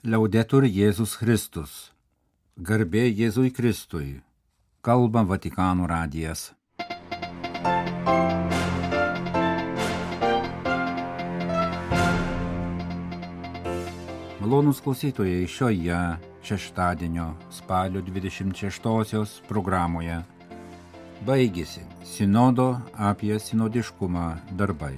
Liaudetur Jėzus Kristus. Garbė Jėzui Kristui. Kalba Vatikano radijas. Malonūs klausytojai, šioje šeštadienio spalio 26-osios programoje baigėsi Sinodo apie sinodiškumą darbai.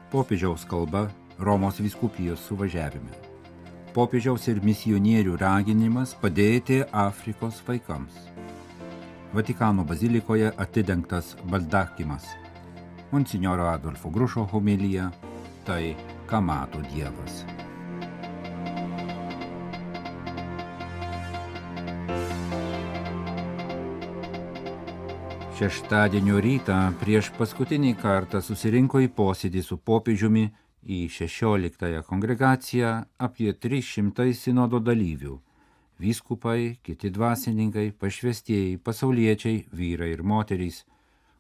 Popiežiaus kalba Romos vyskupijos suvažiavime. Popiežiaus ir misionierių raginimas padėti Afrikos vaikams. Vatikano bazilikoje atidengtas baldakimas. Monsinjoro Adolfo Grušo homilija Tai, ką mato Dievas. Šeštadienio rytą prieš paskutinį kartą susirinko į posėdį su popiežiumi į 16-ąją kongregaciją apie 300 sinodo dalyvių – vyskupai, kiti dvasininkai, pašvestieji, pasauliečiai, vyrai ir moterys.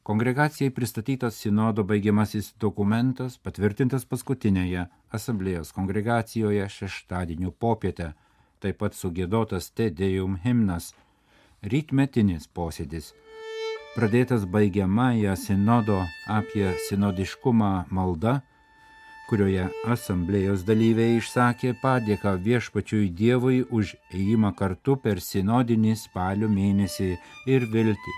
Kongregacijai pristatytas sinodo baigiamasis dokumentas, patvirtintas paskutinėje asamblėjos kongregacijoje šeštadienio popietę, taip pat sugiedotas Te Deum himnas, rytmetinis posėdis. Pradėtas baigiamąją sinodo apie sinodiškumą malda, kurioje asamblėjos dalyviai išsakė padėką viešpačiui Dievui už ėjimą kartu per sinodinį spalio mėnesį ir viltį,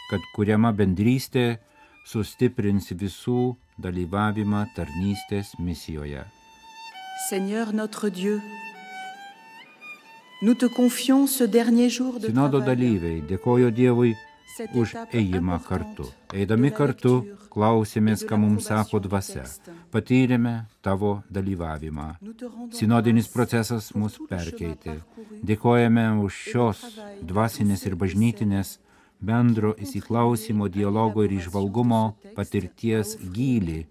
kad kuriama bendrystė sustiprins visų dalyvavimą tarnystės misijoje. Seigneur notre Dieu, nous te confions ce dernier jour de Sinodo travail. dalyviai dėkojo Dievui už ėjimą kartu. Eidami kartu, klausėmės, ką mums sako dvasia. Patyrėme tavo dalyvavimą. Sinodinis procesas mus perkeitė. Dėkojame už šios dvasinės ir bažnytinės bendro įsiklausimo, dialogo ir įžvalgumo patirties gylį,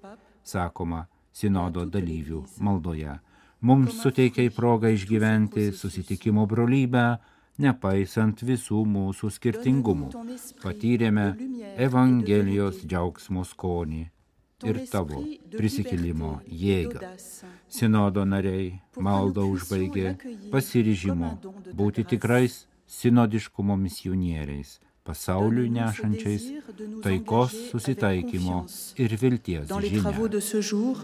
sakoma sinodo dalyvių maldoje. Mums suteikia progą išgyventi susitikimo brolybę, nepaisant visų mūsų skirtingumų. Patyrėme Evangelijos džiaugsmo skonį ir tavo prisikėlimo jėgą. Sinodo nariai maldą užbaigė pasiryžimo būti tikrais sinodiškumo misionieriais, pasauliui nešančiais taikos, susitaikymo ir vilties žinią.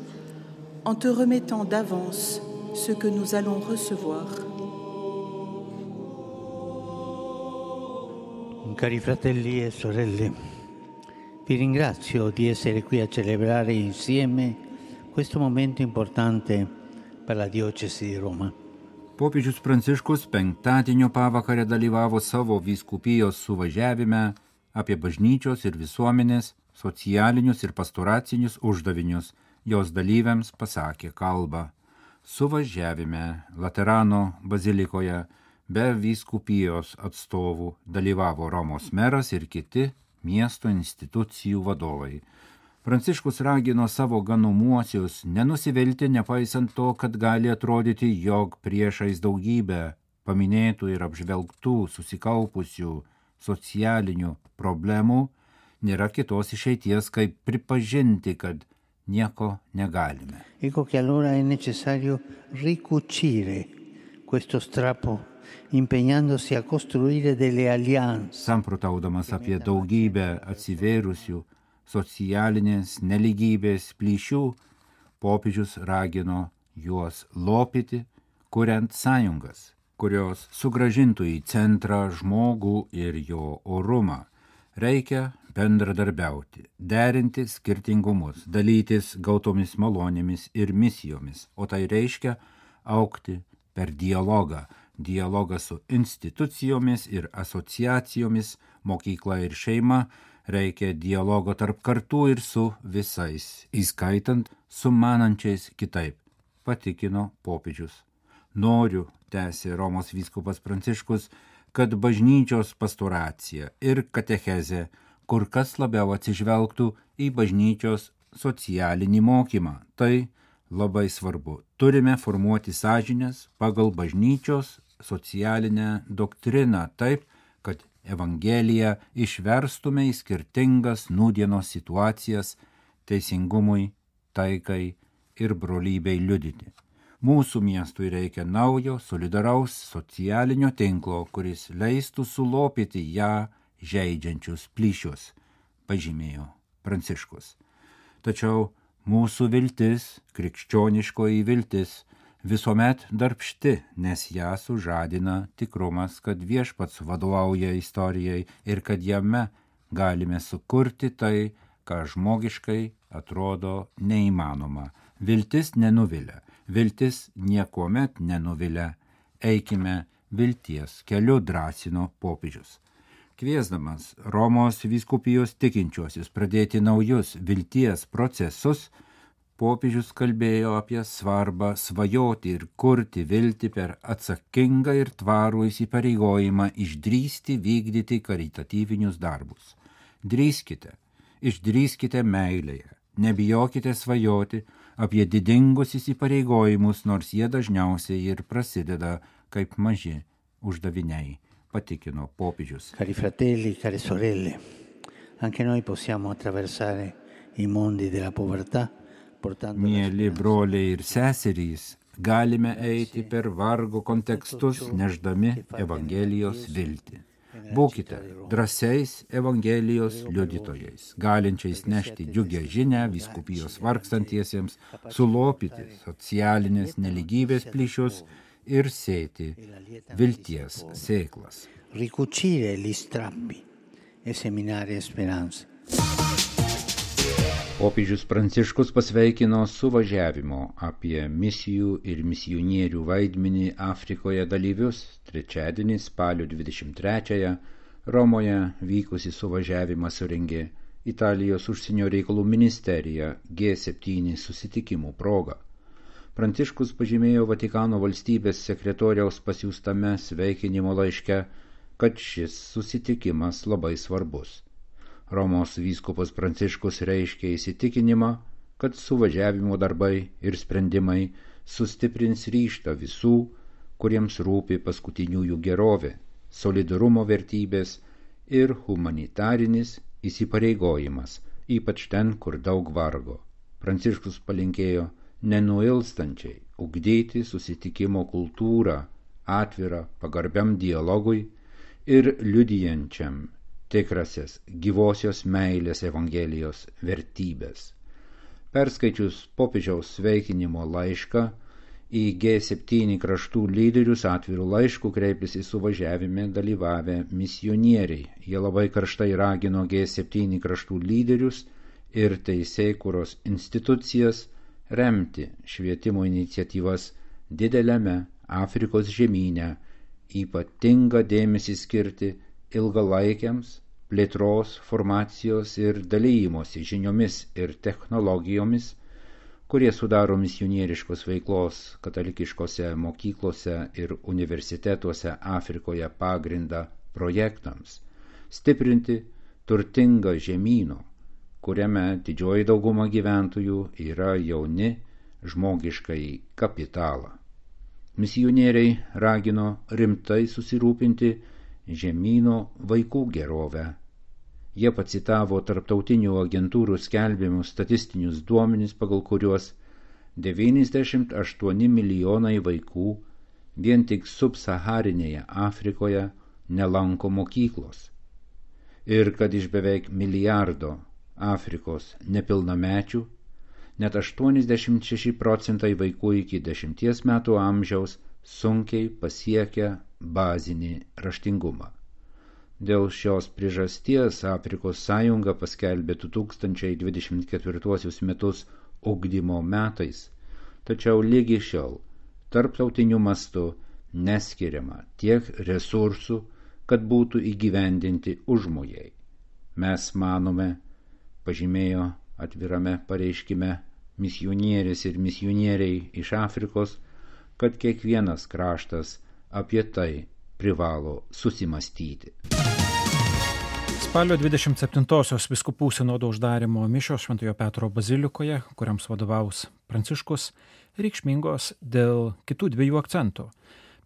En te remettant d'avance ce que nous allons recevoir. Cari fratelli e sorelle, vi ringrazio di essere qui a celebrare insieme questo momento importante per la diocesi di Roma. Popiežius Pranciškus penktadienio pavakarę dalyvavo savo vyskupijos suvažiavime apie bažnyčios ir visuomenės, socialinius ir pastoracinius uždavinius. Jos dalyviams pasakė kalbą. Suvažiavime Laterano bazilikoje be vyskupijos atstovų dalyvavo Romos meras ir kiti miesto institucijų vadovai. Pranciškus ragino savo ganomuosius nenusivilti, nepaisant to, kad gali atrodyti, jog priešais daugybę paminėtų ir apžvelgtų susikaupusių socialinių problemų nėra kitos išeities, kaip pripažinti, kad nieko negalime. Ecco che allora è necessario ricucire questo strappo, impegnandosi a costruire delle alleanze. Samprotaudamas apie daugybę atsivėrusių socialinės nelygybės plyšių, popiežius ragino juos lopyti, kuriant sąjungas, kurios sugrąžintų į centrą žmogų ir jo orumą. Reikia bendradarbiauti, derinti skirtingumus, dalytis gautomis malonėmis ir misijomis, o tai reiškia augti per dialogą su institucijomis ir asociacijomis, mokykla ir šeima, reikia dialogo tarp kartų ir su visais, įskaitant sumanančiais kitaip, patikino popiežius. Noriu, tęsė Romos vyskupas Pranciškus, kad bažnyčios pastoracija ir katechezė kur kas labiau atsižvelgtų į bažnyčios socialinį mokymą. Tai labai svarbu. Turime formuoti sąžinės pagal bažnyčios socialinę doktriną taip, kad Evangeliją išverstume į skirtingas nūdienos situacijas teisingumui, taikai ir brolybei liudyti. Mūsų miestui reikia naujo, solidaraus socialinio tinklo, kuris leistų sulopyti ją žeidžiančius plyšius, pažymėjo Pranciškus. Tačiau mūsų viltis, krikščioniškoji viltis, visuomet darbšti, nes ją sužadina tikrumas, kad Viešpats vadovauja istorijai ir kad jame galime sukurti tai, ką žmogiškai atrodo neįmanoma. Viltis nenuvilia, viltis niekuomet nenuvilia. Eikime vilties keliu, drąsino popiežius. Kviesdamas Romos vyskupijos tikinčiuosius pradėti naujus vilties procesus, popiežius kalbėjo apie svarbą svajoti ir kurti viltį per atsakingą ir tvarų įsipareigojimą išdrįsti vykdyti karitatyvinius darbus. Išdrįskite meilėje, nebijokite svajoti apie didingus įsipareigojimus, nors jie dažniausiai ir prasideda kaip maži uždaviniai, patikino popiežius. Cari fratelli, care sorelle, anche noi possiamo attraversare I mondi della povertà, portando Mieli broliai ir seserys, galime eiti per vargo kontekstus, neždami Evangelijos viltį. Būkite drąsiais Evangelijos liudytojais, galinčiais nešti džiugią žinią vyskupijos vargstantiesiems, sulopyti socialinės neligybės plyšius ir sėti vilties sėklas. ricucire gli strappi e seminare speranze. Popiežius Pranciškus pasveikino suvažiavimo apie misijų ir misionierių vaidmenį Afrikoje dalyvius. Trečiadienį spalio 23-ąją Romoje vykusi suvažiavimą surengė Italijos užsienio reikalų ministerija G7 susitikimų proga. Pranciškus pažymėjo Vatikano valstybės sekretoriaus pasiųstame sveikinimo laiške, kad šis susitikimas labai svarbus. Romos vyskupas Pranciškus reiškė įsitikinimą, kad suvažiavimo darbai ir sprendimai sustiprins ryžtą visų, kuriems rūpi paskutiniųjų gerovė, solidarumo vertybės ir humanitarinis įsipareigojimas, ypač ten, kur daug vargo. Pranciškus palinkėjo nenuilstančiai ugdyti susitikimo kultūrą, atvirą pagarbiam dialogui ir liudijančiam tikrasias gyvosios meilės Evangelijos vertybės. Perskaičius popiežiaus sveikinimo laišką, į G7 kraštų lyderius atvirų laiškų kreipėsi suvažiavime dalyvavę misionieriai. Jie labai karštai ragino G7 kraštų lyderius ir teisėkūros institucijas remti švietimo iniciatyvas dideliame Afrikos žemyne, ypatingą dėmesį skirti ilgalaikiams plėtros, formacijos ir dalymosi žiniomis ir technologijomis, kurie sudaro misionieriškos veiklos katalikiškose mokyklose ir universitetuose Afrikoje pagrindą projektams, stiprinti turtingą žemyno, kuriame didžioji dauguma gyventojų yra jauni žmogiškai kapitalą. Misionieriai ragino rimtai susirūpinti žemyno vaikų gerovę. Jie pacitavo tarptautinių agentūrų skelbiamus statistinius duomenis, pagal kuriuos 98 milijonai vaikų vien tik subsaharinėje Afrikoje nelanko mokyklos. Ir kad iš beveik milijardo Afrikos nepilnamečių, net 86% vaikų iki 10 metų amžiaus sunkiai pasiekia bazinį raštingumą. Dėl šios priežasties Afrikos sąjunga paskelbė 2024 metus ugdymo metais, tačiau lygi šiol tarptautiniu mastu neskiriama tiek resursų, kad būtų įgyvendinti užmojai. Mes manome, pažymėjo atvirame pareiškime misionierės ir misionieriai iš Afrikos, kad kiekvienas kraštas apie tai privalo susimastyti. Spalio 27-osios vyskupų sinodo uždarymo mišios Šventojo Petro bazilikoje, kuriams vadovaus Pranciškus, reikšmingos dėl kitų dviejų akcentų.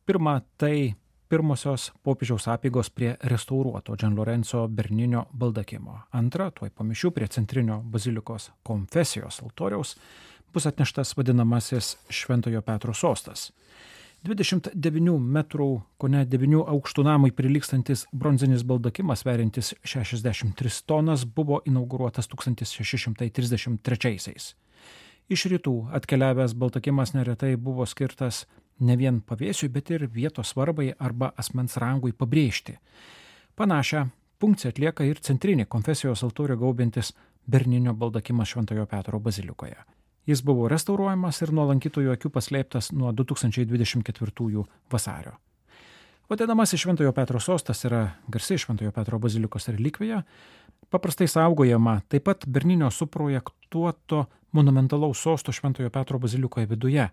Pirma, tai pirmosios popiežiaus apeigos prie restauruoto Gian Lorenzo Berninio baldakimo. Antra, tuoj po mišių prie centrinio bazilikos konfesijos altoriaus bus atneštas vadinamasis Šventojo Petro sostas. 29 metrų, kone 9 aukštų namui prilygstantis bronzinis baldakimas, sveriantis 63 tonas, buvo inauguruotas 1633-aisiais. Iš rytų atkeliavęs baldakimas neretai buvo skirtas ne vien pavėsiui, bet ir vietos svarbai arba asmens rangui pabrėžti. Panašią funkciją atlieka ir centrinį konfesijos altorių gaubiantis Berninio baldakimas Šventojo Petro bazilikoje. Jis buvo restauruojamas ir nuo lankytojų akių paslėptas nuo 2024 vasario. Vadinamasis Šventojo Petro sostas yra garsi Šventojo Petro bazilikos relikvija, paprastai saugojama taip pat Berninio suprojektuoto monumentalaus sosto Šventojo Petro bazilikoje viduje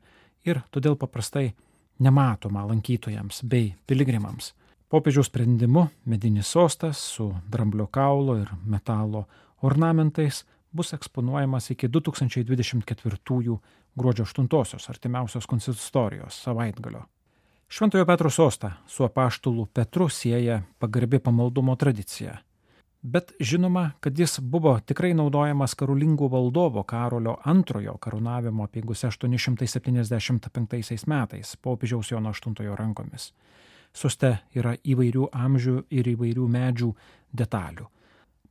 ir todėl paprastai nematoma lankytojams bei piligrimams. Popiežiaus sprendimu medinis sostas su dramblio kaulo ir metalo ornamentais bus eksponuojamas iki 2024 gruodžio 8 artimiausios konsistorijos savaitgalio. Šventojo Petro sostą su apaštalu Petru sieja pagarbi pamaldumo tradicija. Bet žinoma, kad jis buvo tikrai naudojamas karolingų valdovo Karolio II karūnavimo apeigose 875 metais popiežiaus Jono VIII rankomis. Soste yra įvairių amžių ir įvairių medžių detalių.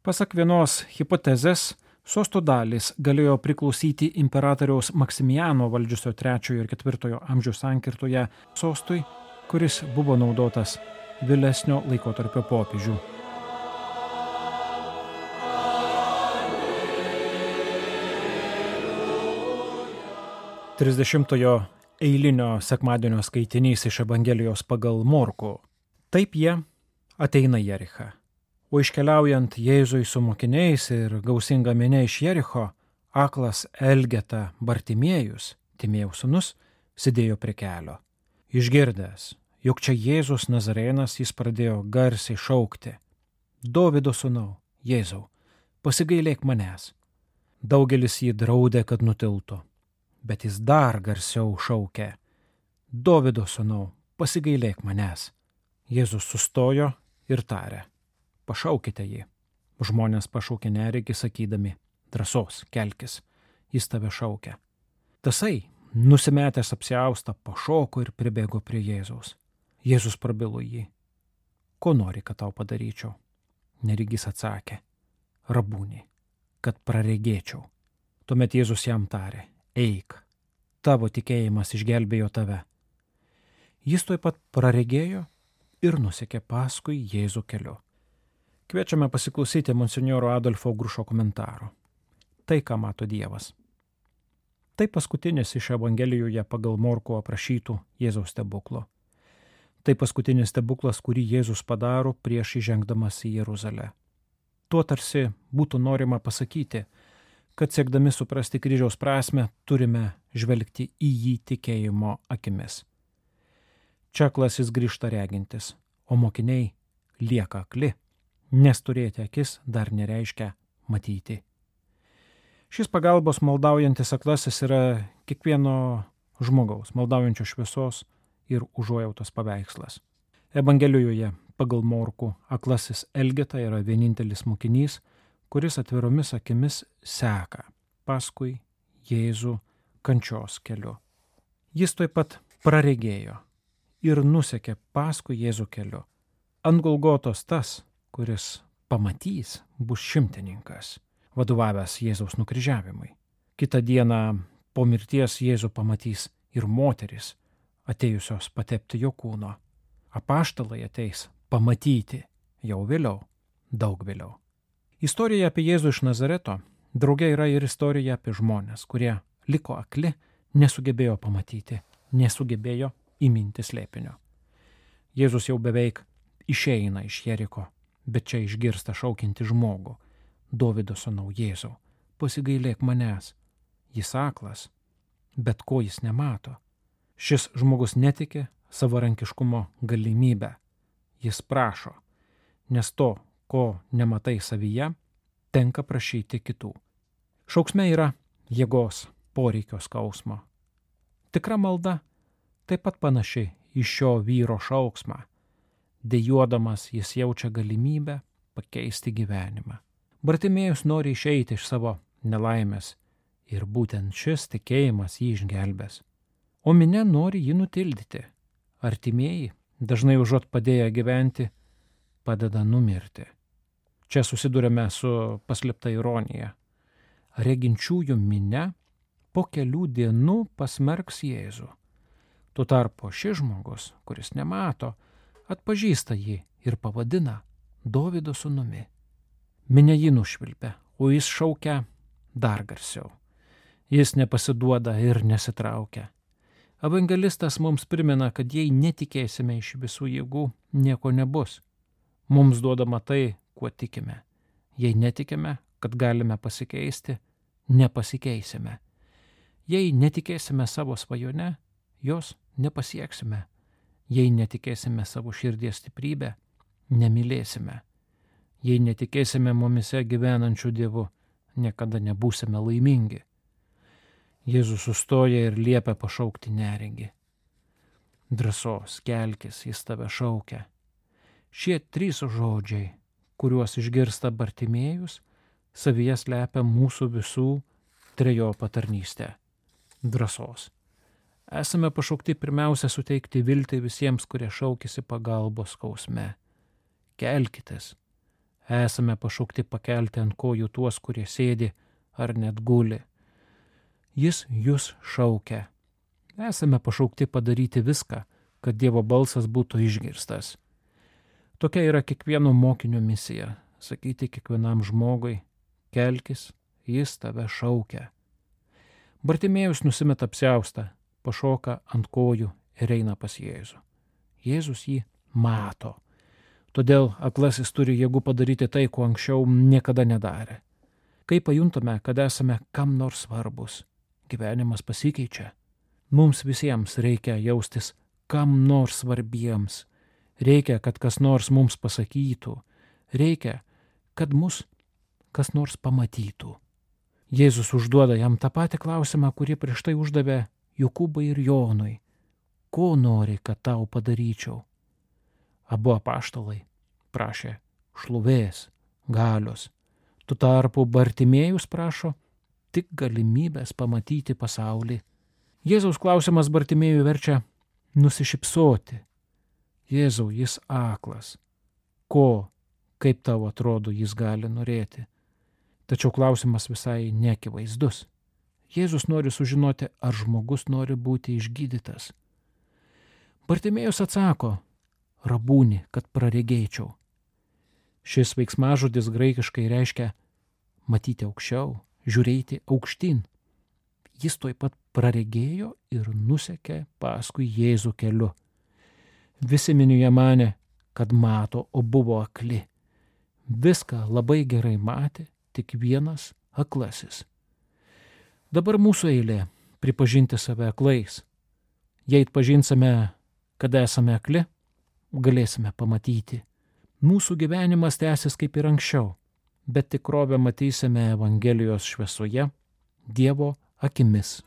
Pasak vienos hipotezės, sosto dalys galėjo priklausyti imperatoriaus Maksimiliano valdžiusio 3 ir 4 amžių sankirtoje sostui, kuris buvo naudotas vėlesnio laikotarpio popiežių. Trisdešimtojo eilinio sekmadienio skaitinys iš Evangelijos pagal Morkų. Taip jie ateina į Jerichą. O iškeliaujant Jėzui su mokiniais ir gausinga minia iš Jericho, aklas Elgeta Bartimiejus, Timėjaus sūnus, sėdėjo prie kelio. Išgirdęs, jog čia Jėzus Nazarėnas, jis pradėjo garsiai šaukti: Dovydo sūnau, Jėzau, pasigailėk manęs. Daugelis jį draudė, kad nutiltų, bet jis dar garsiau šaukė: Dovydo sūnau, pasigailėk manęs. Jėzus sustojo ir tarė: Pašaukite jį. Žmonės pašaukė neregį, sakydami: Drąsos, kelkis, jis tave šaukia. Tasai, nusimetęs apsiaustą, pašoko ir pribėgo prie Jėzaus. Jėzus prabilo jį: Ko nori, kad tau padaryčiau? Neregys atsakė: Rabūni, kad praregėčiau. Tuomet Jėzus jam tarė: Eik, tavo tikėjimas išgelbėjo tave. Jis tuoj pat praregėjo ir nusekė paskui Jėzų keliu. Kviečiame pasiklausyti monsinjoro Adolfo Grušo komentaro. Tai, ką mato Dievas. Tai paskutinis iš Evangelijoje pagal Morkų aprašytų Jėzaus stebuklo. Tai paskutinis stebuklas, kurį Jėzus padaro prieš įžengdamas į Jeruzalę. Tuo tarsi būtų norima pasakyti, kad siekdami suprasti kryžiaus prasmę, turime žvelgti į jį tikėjimo akimis. Čia aklasis grįžta regintis, o mokiniai lieka akli, nes turėti akis dar nereiškia matyti. Šis pagalbos maldaujantis aklasis yra kiekvieno žmogaus, maldaujančio šviesos ir užuojautos paveikslas. Evangelijoje pagal Morkų aklasis Elgeta yra vienintelis mokinys, kuris atviromis akimis seka paskui Jėzų kančios keliu. Jis taip pat praregėjo ir nusekė paskui Jėzų keliu. Ant Golgotos tas, kuris pamatys, bus šimtininkas, vadovavęs Jėzaus nukryžiavimui. Kitą dieną po mirties Jėzų pamatys ir moteris, atėjusios patepti jo kūno. Apaštalai ateis pamatyti jau vėliau, daug vėliau. Istorija apie Jėzų iš Nazareto drauge yra ir istorija apie žmonės, kurie liko akli, nesugebėjo pamatyti, nesugebėjo įminti slėpinio. Jėzus jau beveik išeina iš Jeriko, bet čia išgirsta šaukiantį žmogų: Dovydo sūnau, Jėzau, pasigailėk manęs. Jis aklas, bet ko jis nemato. Šis žmogus netiki savarankiškumo galimybę. Jis prašo, nes to, ko nematai savyje, tenka prašyti kitų. Šauksme yra jėgos, poreikio skausmo. Tikra malda taip pat panaši į šio vyro šauksmą. Dejuodamas jis jaučia galimybę pakeisti gyvenimą. Bartimėjus nori išeiti iš savo nelaimės ir būtent šis tikėjimas jį išgelbės. O minia nori jį nutildyti. Artimieji, dažnai užuot padėję gyventi, padeda numirti. Čia susidurime su paslėpta ironija. Reginčiųjų minia po kelių dienų pasmerks Jėzų. Tuo tarpu šis žmogus, kuris nemato, atpažįsta jį ir pavadina Dovydo sūnumi. Minia jį nušvilpia, o jis šaukia dar garsiau. Jis nepasiduoda ir nesitraukia. Evangelistas mums primena, kad jei netikėsime iš visų jėgų, nieko nebus. Mums duodama tai, kuo tikime. Jei netikime, kad galime pasikeisti, nepasikeisime. Jei netikėsime savo svajone, jos nepasieksime. Jei netikėsime savo širdies stiprybę, nemylėsime. Jei netikėsime mumise gyvenančių Dievu, niekada nebūsime laimingi. Jėzus sustoja ir liepia pašaukti neregį. Drąsos, kelkis, jis tave šaukia. Šie 3 žodžiai, kuriuos išgirsta Bartimėjus, savyje slepia mūsų visų trejopą tarnystę. Drąsos. Esame pašaukti pirmiausia suteikti viltį visiems, kurie šaukėsi pagalbos skausme. Kelkitės. Esame pašaukti pakelti ant kojų tuos, kurie sėdi ar net guli. Jis jūs šaukia. Esame pašaukti padaryti viską, kad Dievo balsas būtų išgirstas. Tokia yra kiekvieno mokinio misija – sakyti kiekvienam žmogui, kelkis, jis tave šaukia. Bartimėjus nusimeta apsiaustą, pašoka ant kojų ir eina pas Jėzų. Jėzus jį mato. Todėl aklasis turi jėgų padaryti tai, ko anksčiau niekada nedarė. Kai pajuntame, kad esame kam nors svarbus, gyvenimas pasikeičia. Mums visiems reikia jaustis kam nors svarbiems. Reikia, kad kas nors mums pasakytų. Reikia, kad mus kas nors pamatytų. Jėzus užduoda jam tą patį klausimą, kurį prieš tai uždavė Jokūbui ir Jonui. Ko nori, kad tau padaryčiau? Abu apaštalai prašė šlovės, galios. Tuo tarpu Bartimėjus prašo tik galimybės pamatyti pasaulį. Jėzaus klausimas Bartimėjų verčia nusišypsoti. Jėzau, jis aklas. Ko, kaip tau atrodo, jis gali norėti? Tačiau klausimas visai neakivaizdus. Jėzus nori sužinoti, ar žmogus nori būti išgydytas. Bartimėjus atsako, rabūni, kad praregėčiau. Šis veiksmažodis graikiškai reiškia matyti aukščiau, žiūrėti aukštyn. Jis tuoj pat praregėjo ir nusekė paskui Jėzų keliu. Visi minioje manė, kad mato, o buvo akli. Viską labai gerai matė tik vienas aklasis. Dabar mūsų eilė pripažinti save aklais. Jei atpažinsime, kad esame akli, galėsime pamatyti. Mūsų gyvenimas tęsis kaip ir anksčiau, bet tikrovę matysime Evangelijos šviesoje, Dievo akimis.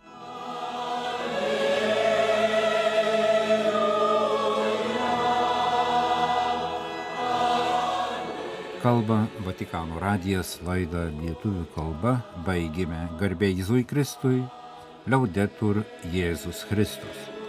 Kalba Vatikano radijas, laidą lietuvių kalba baigėme. Garbė Jėzui Kristui, Liaudetur Jėzus Kristus.